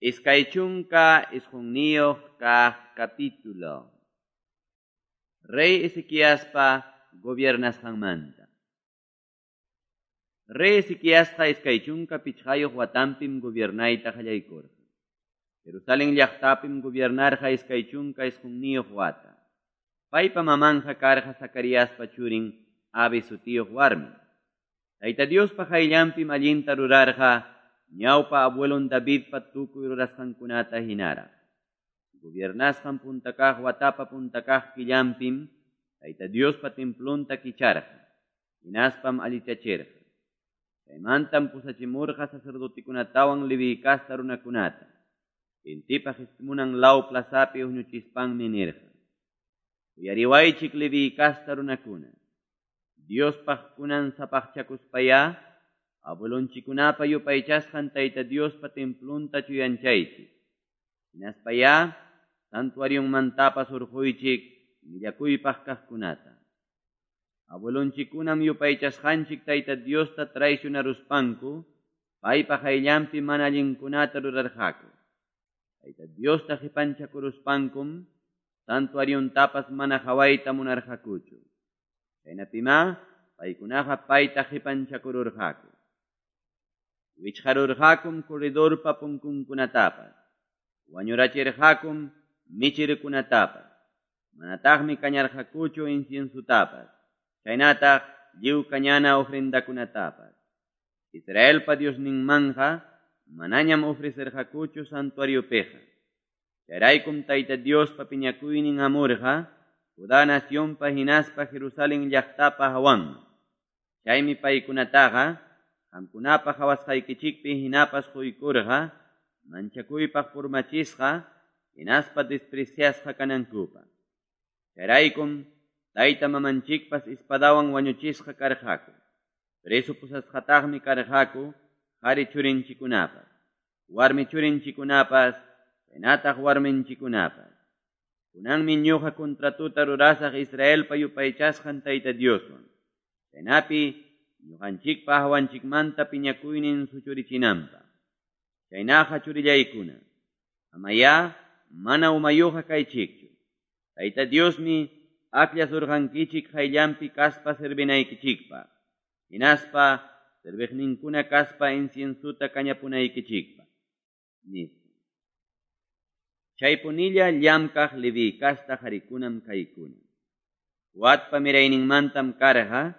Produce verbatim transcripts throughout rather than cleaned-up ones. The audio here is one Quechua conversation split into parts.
Iskay chunka isqunniyuq kaq capítulo. Rey Ezequiaspa gobiernasqanmanta. Rey Ezequiasqa iskay chunka pichqayuq watanpim gobiernayta qallaykurqa. Jerusalén llaqtapim gobiernarqa iskay chunka isqunniyuq wata. Paypa mamanja karqa Zacariaspa churin Abi sutiyuq warmi. Tayta Diospa qayllanpim allinta rurarqa ñawpa abuelon Davidpa tukuy rurasqankunata hinaraq. Gobiernasqan puntakaq watapa puntakaq killanpim Tayta Diospa templonta kicharqa, hinaspam allichachirqa. Chaymantam pusachimurqa sacerdotikunatawan Leví kasta runakunata. Intipa qispimunan law plazapi huñuchispanmi nirqa: Uyariwaychik Leví kasta runakuna. Diospaq kunan sapaqchakuspayá abuelonchikunapa yupaychasqan Tayta Diospa templonta chuyanchaychik. Hinaspayá santuarionmantapas hurquychik millakuypaq kaqkunata. Abuelonchikunam yupaychasqanchik Tayta Diosta traicionaruspanku paypa qayllanpi mana allinkunata rurarqaku. Tayta Diosta qipanchakuruspankum santuariontapas mana qawayta munarqakuchu. Chaynapimá paykunaqa payta qipanchakururqaku. Wichqarurqakum corredorpa punkunkunatapas, wañurachirqakum michirkunatapas, manataqmi kañarqakuchu inciensutapas, chaynataq lliw kañana ofrendakunatapas. Israelpa Diosninmanja manañam ofrecerqakuchu santuariopiqa. Chayraykum Tayta Diospa piñakuynin hamurqa Judá nacionpa hinaspa Jerusalén llaqtapa hawanman. Chaymi paykunataqa qamkunapa qawasqaykichikpi hinapas quykurqa, manchakuypaq purmachisqa, hinaspa despreciasqa kanankupaq. Chayraykum tayta mamanchikpas espadawan wañuchisqa karqaku. Preso pusasqataqmi karqaku qhari churinchikunapas, warmi churinchikunapas, chaynataq warminchikunapas. Kunanmi ñuqa contratuta rurasaq Israelpa yupaychasqan Tayta Dioswan. Chaynapi ñuqanchikpa hawanchikmanta piñakuynin suchurichinanpaq. Chaynaqa churillaykuna, amayá mana umayuqa kaychikchu. Tayta Diosmi akllasurqankichik qayllanpi kaspa servinaykichikpaq, hinaspa serviqninkuna kaspa inciensuta kañapunaykichikpaq, nispa. Chaypunilla llamkaq Leví kasta qharikunam kaykuna. Coatpa mirayninmantam karqa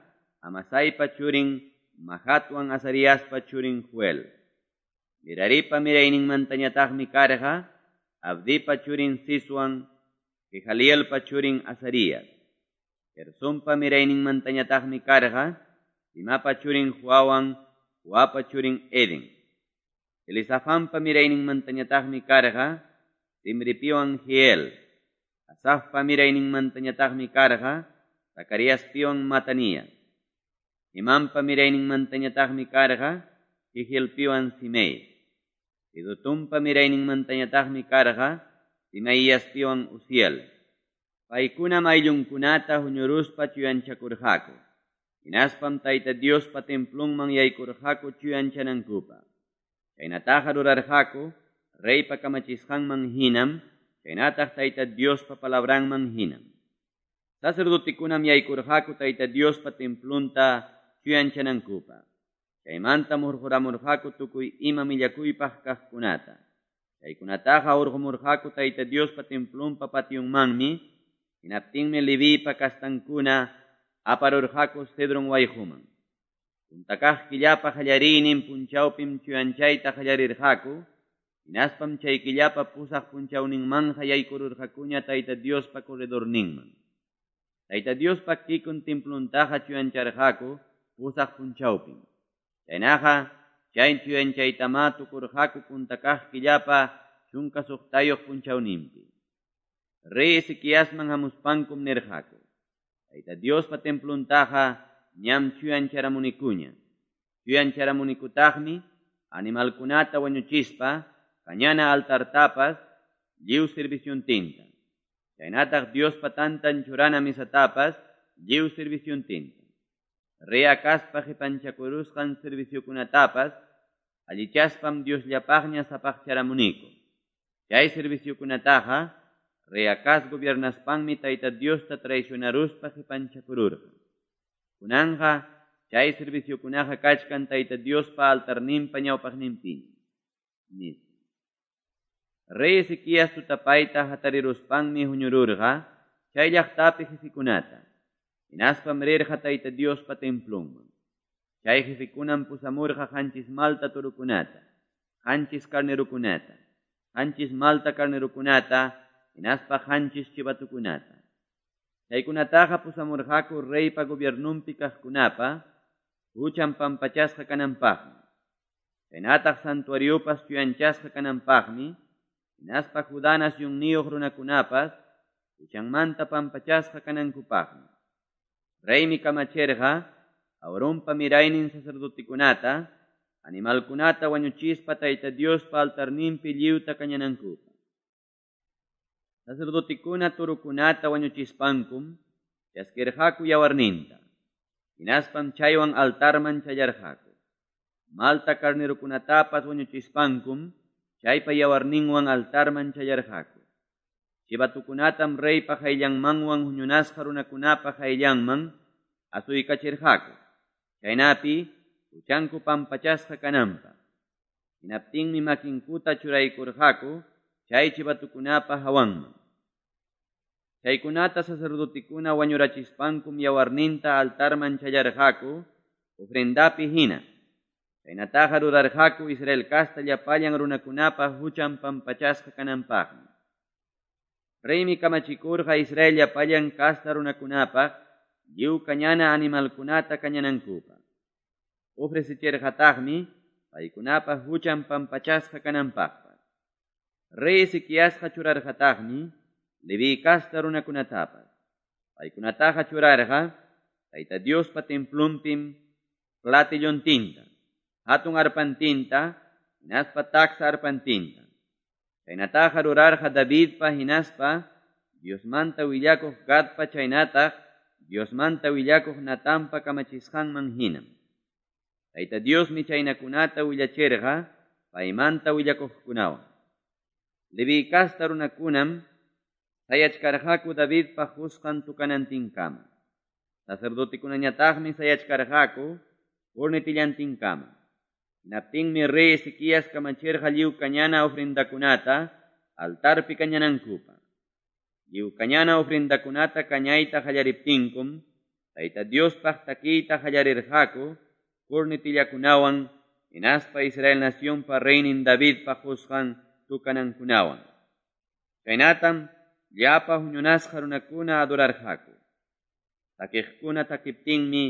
Amasaipa churin Mahatwan Azariaspa churin Joel. Meraripa mirayninmantañataqmi karqa Abdipa churin Siswan, Jehalielpa churin Azarías. Gersonpa mirayninmantañataqmi karqa Simapa churin Joawan, Joapa churin Eden. Elizafanpa mirayninmantañataqmi karqa Simripiwan Jiel. Asafpa mirayninmantañataqmi karqa Zacariaspiwan Matanías. Imampa mirayninmantañataqmi karqa Jehielpiwan Simei. Jedutunpa mirayninmantañataqmi karqa Simaiaspiwan Uziel. Paykunam ayllunkunata huñuruspa chuyanchakurqaku. Hinaspam Tayta Diospa templonman yaykurqaku chuyanchanankupaq. Chaynataqa rurarqaku reypa kamachisqanman hinam, chaynataq Tayta Diospa palabranman hinam. Sacerdotekunam yaykurqaku Tayta Diospa templonta chuyanchanankupaq. Chaymantam hurquramurqaku tukuy ima millakuypaq kaqkunata. Chaykunataqa hurqumurqaku Tayta Diospa templonpa pationmanmi, hinaptinmi Levipa kastankuna aparurqaku Cedron wayquman. Puntakaq killapa qallariynin punchawpim chuyanchayta qallarirqaku, hinaspam chay killapa pusaq punchawninmanja yaykururqakuña Tayta Diospa corredorninman. Tayta Diospa kikun templontaqa chuyancharqaku pusaq punchawpim. Chaynaqa chay chuyanchaytamá tukurqaku puntakaq killapa chunka suqtayuq punchawninpi. Rey Ezequiasman hamuspankum nirqaku: Tayta Diospa templontaqa ñam chuyancharamunikuña. Chuyancharamunikutaqmi animalkunata wañuchispa kañana altartapas lliw serviciontinta. Chaynataq Diospa tantan churana misatapas lliw serviciontinta. Rey Acazpa qipanchakurusqan serviciokunatapas allichaspam Diosllapaqña sapaqcharamuniku. Chay serviciokunataqa rey Acaz gobiernaspanmi Tayta Diosta traicionaruspa qepanchakururqa. Kunanqa chay serviciokunaqa kachkan Tayta Diospa altarninpa ñawpaqninpiñam, nispa. Rey Ezequías tutapayta hatariruspanmi huñururqa chay llaqtapi jefekunata, hinaspam rirqa Tayta Diospa templonman. Chay jefekunam pusamurqa qanchis malta torokunata, qanchis carnerokunata, qanchis malta carnerokunata, hinaspa qanchis chivatokunata. Chaykunataqa pusamurqaku reypa gobiernonpi kaqkunapa huchan pampachasqa kananpaqmi, chaynataq santuariopas chuyanchasqa kananpaqmi, hinaspa Judá nacionniyuq runakunapas huchanmanta pampachasqa kanankupaqmi. Reymi kamachirqa Aaronpa miraynin sacerdotekunata, animalkunata wañuchispa Tayta Diospa altarninpi lliwta kañanankupaq. Sacerdotekuna torokunata wañuchispankum chaskirqaku yawarninta, hinaspam chaywan altarman challarqaku. Malta carnerokunatapas wañuchispankum chaypa yawarninwan altarman challarqaku. Chivatukunatam reypa qayllanmanwan huñunasqa runakunapa qayllanman asuykachirqaku, chaynapi huchanku pampachasqa kananpaq. Hinaptinmi makinkuta churaykurqaku chay chivatukunapa hawanman. Chaykunata sacerdotekuna wañurachispankum yawarninta altarman challarqaku ofrendapi hina. Chaynataqa rurarqaku Israel casta llapallan runakunapa huchan pampachasqa kananpaqmi. Reymi kamachikurqa Israel llapallan casta runakunapaq lliw kañana animalkunata kañanankupaq. Ofrecichirqataqmi paykunapa huchan pampachasqa kananpaqpas. Rey Ezequiasqa churarqataqmi Leví casta runakunatapas. Paykunataqa churarqa Tayta Diospa templonpim platillontinta, hatun arpantinta, hinaspa taksa arpantinta. Chaynataqa rurarqa Davidpa hinaspa Diosmanta willakuq Gadpa chaynataq Diosmanta willakuq Natanpa kamachisqanman hinam. Tayta Diosmi chaynakunata willachirqa paymanta willakuqkunawan. Leví casta runakunam sayachkarqaku Davidpa qusqan tukanantinkama. Sacerdotekunañataqmi sayachkarqaku cornetillantinkama. Hinaptinmi rey Ezequías kamachirqa lliw kañana ofrendakunata altarpi kañanankupaq. Lliw kañana ofrendakunata kañayta qallariptinkum Tayta Diospaq takiyta qallarirqaku cornetillakunawan hinaspa Israel nacionpa reynin Davidpa qusqan tukanankunawan. Chaynatam llapa huñunasqa runakuna adorarqaku. Takiqkuna takiptinmi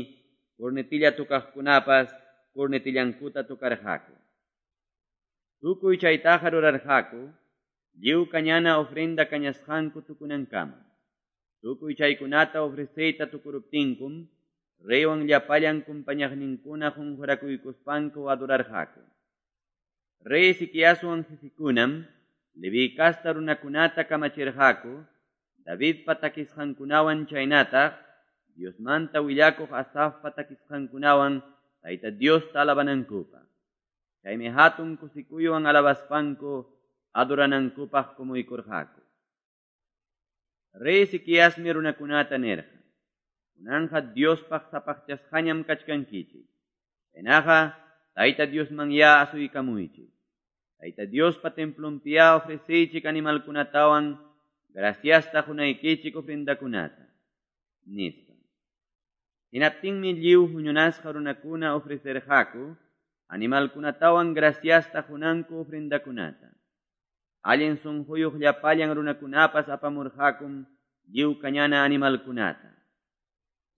cornetilla tukaqkunapas cornetillankuta tukarqaku. Tukuy chaytaqa rurarqaku lliw kañana ofrenda kañasqanku tukunankama. Tukuy chaykunata ofreceyta tukuruptinkum reywan llapallan kumpañaqninkuna qunqurakuykuspanku adorarqaku. Rey Ezequiaswan jefekunam Leví casta runakunata kamachirqaku Davidpa takisqankunawan chaynataq Diosmanta willakuq Asafpa takisqankunawan Tayta Diosta alabanankupaq. Chaymi hatun kusikuywan alabaspanku adoranankupaq kumuykurqaku. Rey Ezequiasmi runakunata nirqa: Kunanqa Diospaq sapaqchasqañam kachkankichik. Chaynaqa Tayta Diosman ya asuykamuychik. Tayta Diospa templonpiya ofreceychik animalkunatawan graciasta qunaykichik ofrendakunata, nispa. Hinaptinmi lliw huñunasqa runakuna ofrecerqaku animalkunatawan graciasta qunanku ofrendakunata. Allin sunquyuq llapallan runakunapas apamurqakum lliw kañana animalkunata.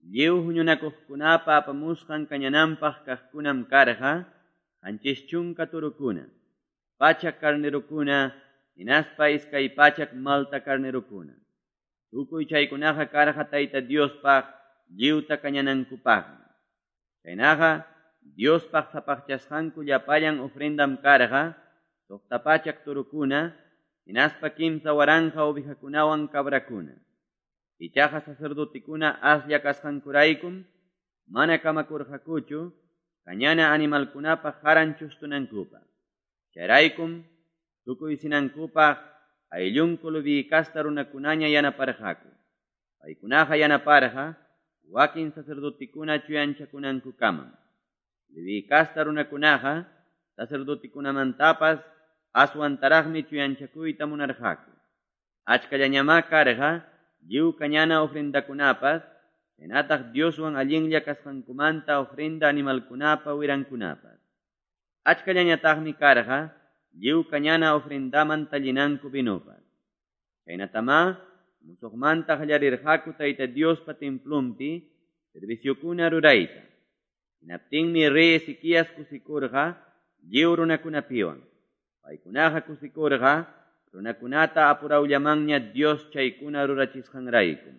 Lliw huñunakuqkunapa apamusqan kañananpaq kaqkunam karqa qanchis chunka torokuna, pachak carnerokuna, hinaspa iskay pachak malta carnerokuna. Tukuy chaykunaqa karqa Tayta Diospaq lliwta kañanankupaqmi. Chaynaqa Diospaq sapaqchasqanku llapallan ofrendam karqa suqta pachak torokuna, hinaspa kimsa waranqa ovejakunawan cabrakuna. Ichaqa sacerdotekuna aslla kasqankuraykum mana kamakurqakuchu kañana animalkunapa qaran chustunankupaq. Chayraykum tukuysinankupaq ayllunku Leví casta runakunaña yanaparqaku. Paykunaqa yanaparqa wakin sacerdotikuna chuyanchakunankukamam. Leví casta runakunaqa sacerdotikunamantapas aswantaraqmi chuyanchakuyta munarqaku. Achkallañamá karqa lliw kañana ofrendakunapas, chaynataq Dioswan allinlla kasqankumanta ofrenda animalkunapa wirankunapas. Achkallañataqmi karqa lliw kañana ofrendaman tallinanku vinopas. Chaynatamá musuqmanta qallarirqaku Tayta Diospa templonpi serviciokuna rurayta. Hinaptinmi rey Ezequías kusikurqa lliw runakunapiwan. Paykunaqa kusikurqa runakunata apurawllamanña Dios chaykuna rurachisqanraykum.